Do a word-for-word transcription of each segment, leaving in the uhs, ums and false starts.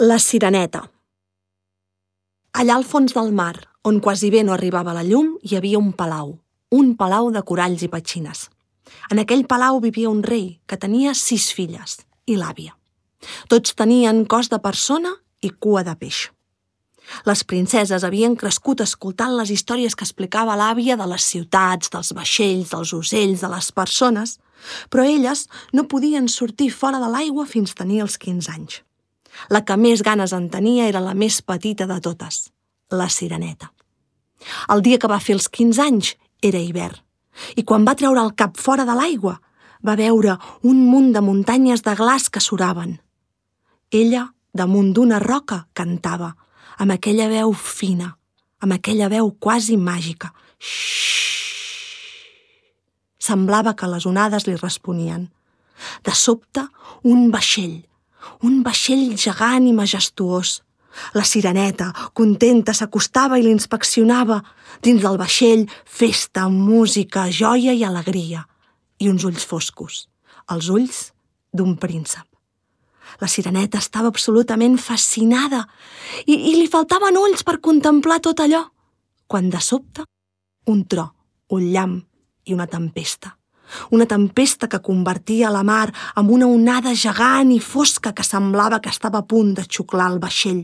La Sireneta. Allà al fons del mar, on quasi bé no arribava la llum, hi havia un palau, un palau de coralls i petxines. En aquell palau vivia un rei que tenia sis filles i l'àvia. Tots tenien cos de persona i cua de peix. Les princeses havien crescut escoltant les històries que explicava l'àvia de les ciutats, dels vaixells, dels ocells, de les persones, però elles no podien sortir fora de l'aigua fins tenir els quinze anys. La que més ganes en tenia era la més petita de totes, la Sireneta. El dia que va fer els quinze anys era hivern, i quan va treure el cap fora de l'aigua va veure un munt de muntanyes de glaç que suraven. Ella, damunt d'una roca, cantava, amb aquella veu fina, amb aquella veu quasi màgica. Xxxt! Semblava que les onades li responien. De sobte, un vaixell, un vaixell gegant i majestuós. La Sireneta, contenta, s'acostava i l'inspeccionava. Dins del vaixell, festa, música, joia i alegria. I uns ulls foscos, els ulls d'un príncep. La Sireneta estava absolutament fascinada i, i li faltaven ulls per contemplar tot allò, quan de sobte, un tro, un llamp i una tempesta. Una tempesta que convertia la mar en una onada gegant i fosca que semblava que estava a punt de xuclar el vaixell.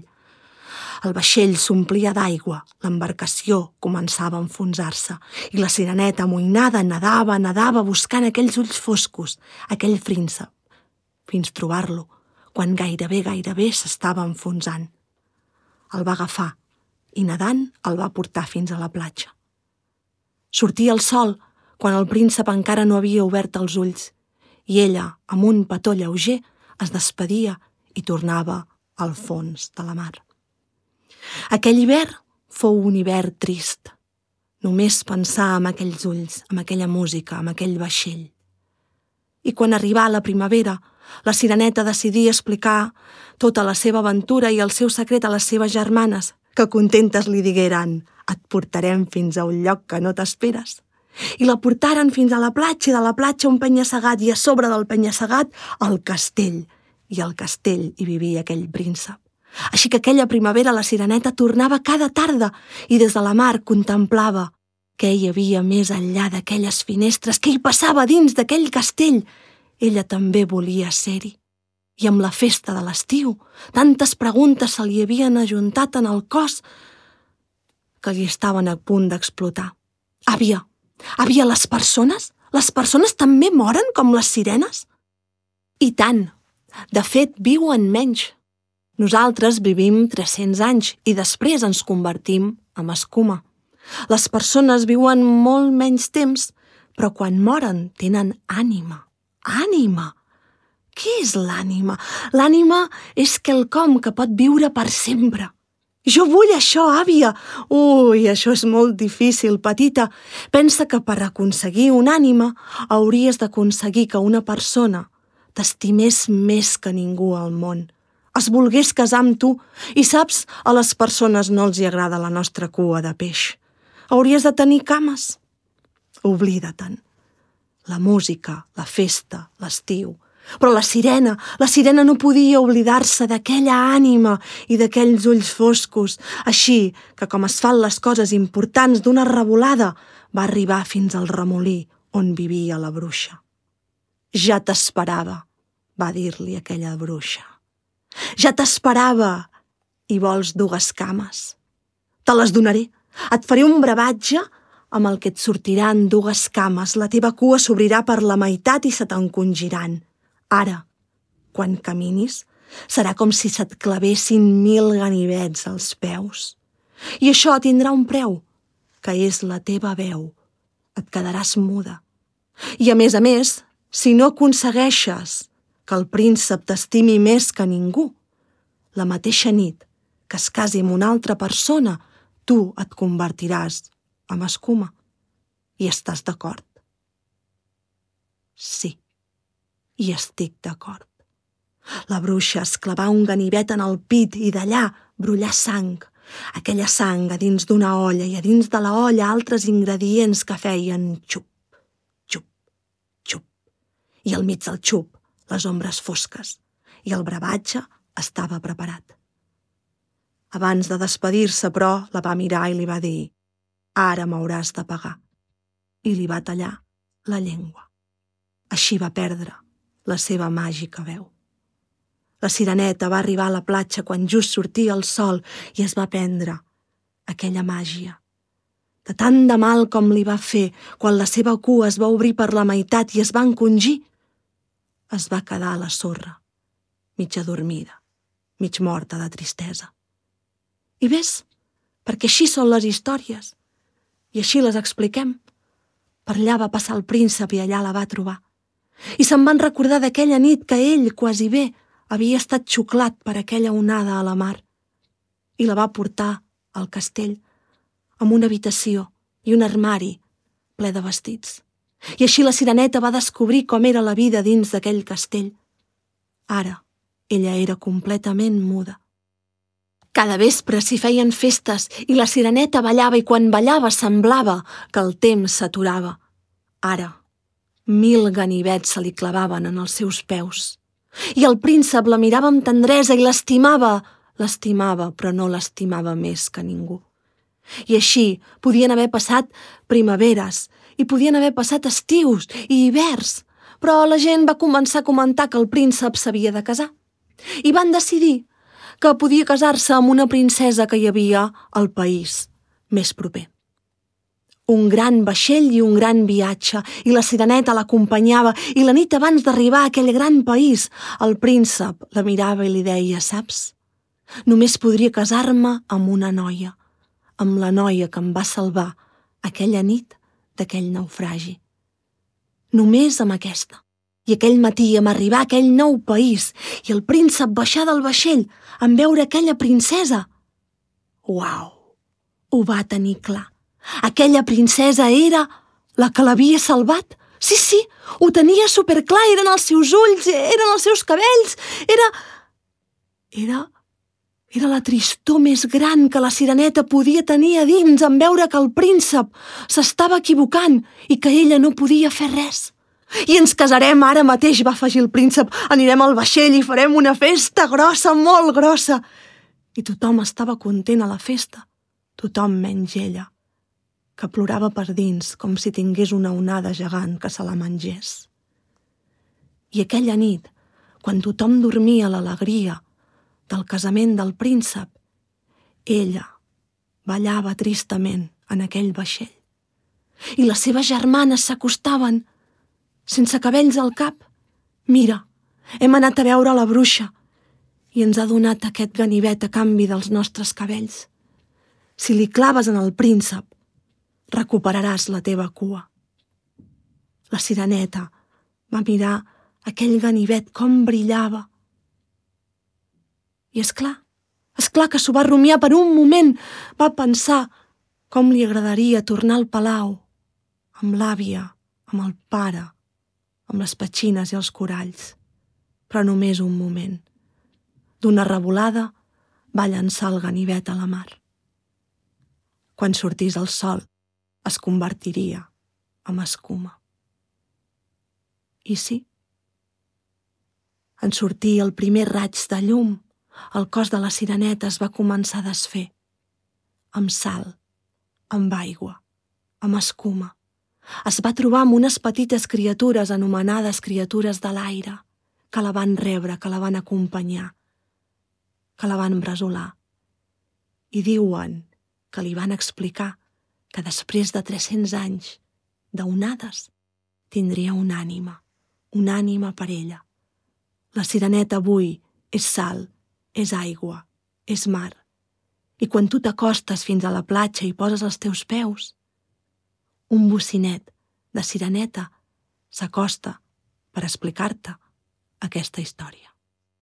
El vaixell s'omplia d'aigua, l'embarcació començava a enfonsar-se i la Sireneta, amoïnada, nedava, nedava buscant aquells ulls foscos, aquell príncep, fins trobar-lo, quan gairebé, gairebé s'estava enfonsant. El va agafar i, nedant, el va portar fins a la platja. Sortia el sol quan el príncep encara no havia obert els ulls, i ella, amb un petó lleuger, es despedia i tornava al fons de la mar. Aquell hivern fou un hivern trist. Només pensar en aquells ulls, en aquella música, en aquell vaixell. I quan arribà la primavera, la Sireneta decidí explicar tota la seva aventura i el seu secret a les seves germanes, que contentes li digueren: «Et portarem fins a un lloc que no t'esperes». I la portaren fins a la platja, i de la platja un penya-segat, i a sobre del penya-segat el castell. I al castell hi vivia aquell príncep. Així que aquella primavera la Sireneta tornava cada tarda i des de la mar contemplava què hi havia més enllà d'aquelles finestres, què hi passava dins d'aquell castell. Ella també volia ser-hi. I amb la festa de l'estiu, tantes preguntes se li havien ajuntat en el cos que li estaven a punt d'explotar. Àvia, àvia, les persones? Les persones també moren com les sirenes? I tant. De fet, viuen menys. Nosaltres vivim tres-cents anys i després ens convertim en escuma. Les persones viuen molt menys temps, però quan moren tenen ànima. Ànima! Què és l'ànima? L'ànima és quelcom que pot viure per sempre. Jo vull això, àvia! Ui, això és molt difícil, petita. Pensa que per aconseguir una ànima hauries d'aconseguir que una persona t'estimés més que ningú al món. Es volgués casar amb tu i saps, a les persones no els hi agrada la nostra cua de peix. Hauries de tenir cames. Oblida-te'n. La música, la festa, l'estiu. Però la sirena, la sirena no podia oblidar-se d'aquella ànima i d'aquells ulls foscos. Així que, com es fan les coses importants d'una revolada, va arribar fins al remolí on vivia la bruixa. Ja t'esperava, va dir-li aquella bruixa. Ja t'esperava, i vols dues cames? Te les donaré. Et faré un brevatge amb el que et sortiran dues cames. La teva cua s'obrirà per la meitat i se t'encongiran. Ara, quan caminis, serà com si se't clavessin mil ganivets als peus. I això tindrà un preu, que és la teva veu. Et quedaràs muda. I a més a més, si no aconsegueixes que el príncep t'estimi més que ningú, la mateixa nit que es casi amb una altra persona, tu et convertiràs en escuma. I estàs d'acord? Sí. I estic d'acord. La bruixa es clavà un ganivet en el pit i d'allà brollà sang. Aquella sang a dins d'una olla i a dins de la olla altres ingredients que feien xup, xup, xup. I al mig del xup, les ombres fosques. I el brevatge estava preparat. Abans de despedir-se, però, la va mirar i li va dir: «Ara m'hauràs de pagar». I li va tallar la llengua. Així va perdre la seva màgica veu. La sireneta va arribar a la platja quan just sortia el sol i es va prendre aquella màgia. De tant de mal com li va fer quan la seva cua es va obrir per la meitat i es va encongir, es va quedar a la sorra, mig adormida, mig morta de tristesa. I ves, perquè així són les històries, i així les expliquem. Per allà va passar el príncep i allà la va trobar. I se'n van recordar d'aquella nit que ell, quasi bé, havia estat xuclat per aquella onada a la mar. I la va portar al castell, amb una habitació i un armari ple de vestits. I així la sireneta va descobrir com era la vida dins d'aquell castell. Ara, ella era completament muda. Cada vespre s'hi feien festes i la sireneta ballava i quan ballava semblava que el temps s'aturava. Ara, mil ganivets se li clavaven en els seus peus. I el príncep la mirava amb tendresa i l'estimava, l'estimava, però no l'estimava més que ningú. I així podien haver passat primaveres i podien haver passat estius i hiverns, però la gent va començar a comentar que el príncep s'havia de casar. I van decidir que podia casar-se amb una princesa que hi havia al país més proper. Un gran vaixell i un gran viatge, i la sireneta l'acompanyava, i la nit abans d'arribar a aquell gran país, el príncep la mirava i li deia: «Saps? Només podria casar-me amb una noia, amb la noia que em va salvar aquella nit d'aquell naufragi. Només amb aquesta». I aquell matí, amb arribar a aquell nou país, i el príncep baixar del vaixell en veure aquella princesa, uau, ho va tenir clar. Aquella princesa era la que l'havia salvat. Sí, sí, ho tenia superclar, eren els seus ulls, eren els seus cabells, era... Era... Era la tristor més gran que la sireneta podia tenir a dins en veure que el príncep s'estava equivocant i que ella no podia fer res. «I ens casarem ara mateix», va afegir el príncep. «Anirem al vaixell i farem una festa grossa, molt grossa». I tothom estava content a la festa, tothom menys ella, que plorava per dins com si tingués una onada gegant que se la mengés. I aquella nit, quan tothom dormia l'alegria del casament del príncep, ella ballava tristament en aquell vaixell. I les seves germanes s'acostaven, sense cabells al cap. «Mira, hem anat a veure la bruixa i ens ha donat aquest ganivet a canvi dels nostres cabells. Si li claves en el príncep, recuperaràs la teva cua». La sireneta va mirar aquell ganivet com brillava. I és clar, és clar que s'ho va rumiar per un moment. Va pensar com li agradaria tornar al palau, amb l'àvia, amb el pare, amb les petxines i els coralls. Però només un moment. D'una revolada va llançar el ganivet a la mar. Quan sortís el sol, es convertiria en escuma. I sí, en sortir el primer raig de llum, el cos de la sireneta es va començar a desfer, amb sal, amb aigua, amb escuma. Es va trobar amb unes petites criatures anomenades criatures de l'aire, que la van rebre, que la van acompanyar, que la van bresolar. I diuen que li van explicar que després de tres-cents anys d'onades tindria una ànima, una ànima per ella. La sireneta avui és sal, és aigua, és mar. I quan tu t'acostes fins a la platja i poses els teus peus, un bocinet de sireneta s'acosta per explicar-te aquesta història.